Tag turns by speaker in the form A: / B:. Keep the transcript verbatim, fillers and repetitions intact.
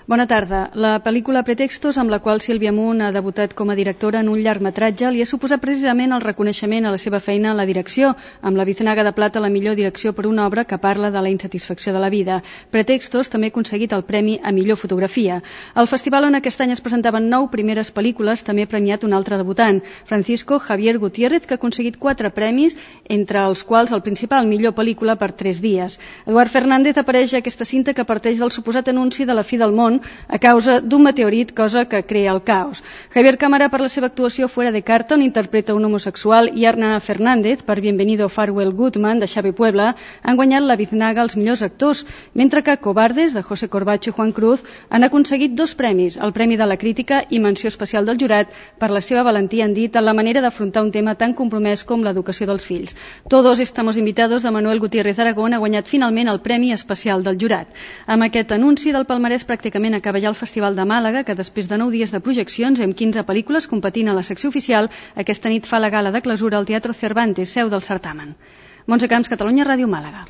A: Bona tarda. La pel·lícula Pretextos, amb la qual Sílvia Munt ha debutat com a directora en un llargmetratge, li ha suposat precisament el reconeixement a la seva feina en la direcció, amb la Biznaga de Plata a la millor direcció per una obra que parla de la insatisfacció de la vida. Pretextos també ha aconseguit el premi a millor fotografia. Al festival on aquest any es presentaven nou primeres pel·lícules també ha premiat un altre debutant, Francisco Javier Gutiérrez, que ha aconseguit quatre premis, entre els quals el principal, millor pel·lícula per tres dies. Eduard Fernández apareix a aquesta cinta que parteix del suposat anunci de la fi del món a causa d'un meteorit, cosa que crea el caos. Javier Cámara, per la seva actuació Fuera de carta, on interpreta un homosexual, i Arna Fernández, per Bienvenido Farewell Goodman, de Xavi Puebla, han guanyat la Biznaga als millors actors, mentre que Cobardes, de José Corbacho i Juan Cruz, han aconseguit dos premis, el Premi de la Crítica i menció especial del jurat per la seva valentia, han dit, en la manera d'afrontar un tema tan compromès com l'educació dels fills. Todos estamos invitados de Manuel Gutiérrez Aragón ha guanyat finalment el Premi Especial del jurat. Amb aquest anunci del palmarès pràcticament acaba ja el Festival de Màlaga, que després de nou dies de projeccions amb quinze pel·lícules competint a la secció oficial, aquesta nit fa la gala de clausura al Teatro Cervantes, seu del certamen. Montse Camps, Catalunya Ràdio, Màlaga.